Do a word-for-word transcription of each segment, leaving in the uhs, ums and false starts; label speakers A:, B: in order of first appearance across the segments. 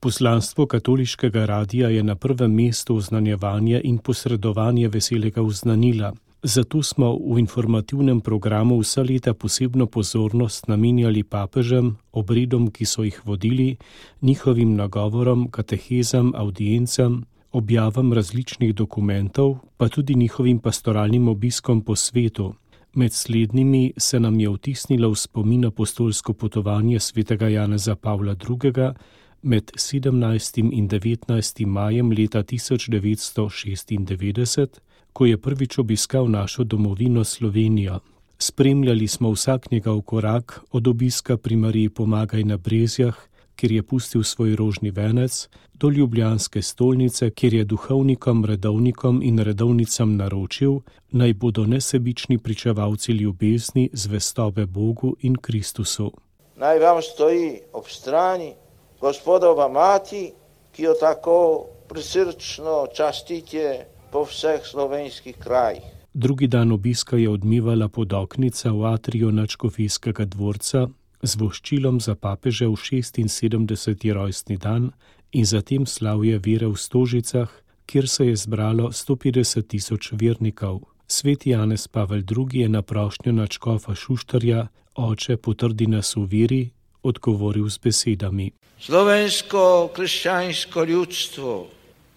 A: Poslanstvo katoliškega radia je na prvem mestu oznanjevanje in posredovanje veselega oznanila. Zato smo v informativnem programu vsa leta posebno pozornost namenjali papežem, obredom, ki so jih vodili, njihovim nagovorom, katehezam, audiencam, objavam različnih dokumentov, pa tudi njihovim pastoralnim obiskom po svetu. Med slednjimi se nam je vtisnilo v spomin apostolsko potovanje svetega Janeza Pavla drugega med sedemnajstim in devetnajstim majem leta tisoč devetsto šestindevetdeset, ko je prvič obiskal našo domovino Slovenijo. Spremljali smo vsak njegov korak, od obiska pri Mariji Pomagaj na Brezjah, kjer je pustil svoj rožni venec, do ljubljanske stolnice, kjer je duhovnikom, redovnikom in redovnicam naročil, naj bodo nesebični pričevalci ljubezni, zvestobe Bogu in Kristusu.
B: Naj vam stoji ob strani Gospodova mati, ki jo tako prisrčno častite po vseh slovenskih krajih.
A: Drugi dan obiska je odmevala podoknica v atriju nadškofijskega dvorca z voščilom za papežev šestinsedemdeseti rojstni dan in zatem slavje vere v Stožicah, kjer se je zbralo sto petdeset tisoč vernikov. Sveti Janez Pavel drugi je na prošnjo nadškofa Šuštarja, oče, potrdi nas v veri, odgovoril z besedami.
B: Slovensko krščansko ljudstvo,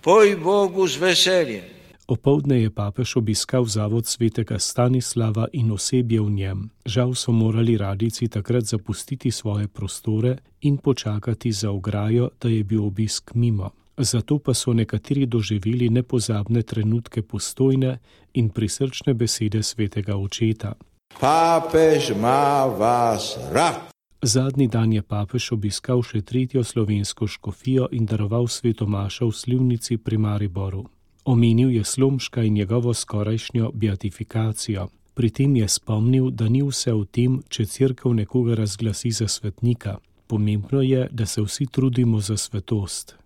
B: poj Bogu z veseljem.
A: Opoldne je papež obiskal zavod svetega Stanislava in osebje v njem. Žal so morali radijci takrat zapustiti svoje prostore in počakati za ograjo, da je bil obisk mimo. Zato pa so nekateri doživeli nepozabne trenutke postojne in prisrčne besede svetega očeta.
B: Papež ima vas rad.
A: Zadnji dan je papež obiskal še tretjo slovensko škofijo in daroval sveto mašo v Slivnici pri Mariboru. Omenil je Slomška in njegovo skorajšnjo beatifikacijo. Pri tem je spomnil, da ni vse v tem, če cerkev nekoga razglasi za svetnika. Pomembno je, da se vsi trudimo za svetost.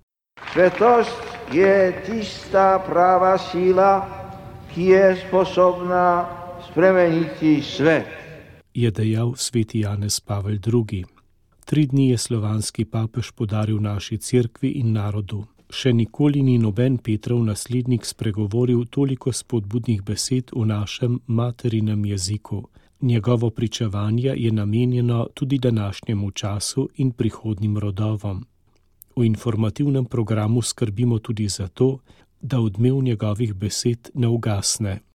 B: Svetost je tista prava sila, ki je sposobna spremeniti svet,
A: je dejal sveti Janez Pavel drugi. Tri dni je slovanski papež podaril naši cerkvi in narodu. Še nikoli ni noben Petrov naslednik spregovoril toliko spodbudnih besed v našem materinem jeziku. Njegovo pričevanje je namenjeno tudi današnjemu času in prihodnjim rodovom. V informativnem programu skrbimo tudi za to, da odmev njegovih besed ne ugasne.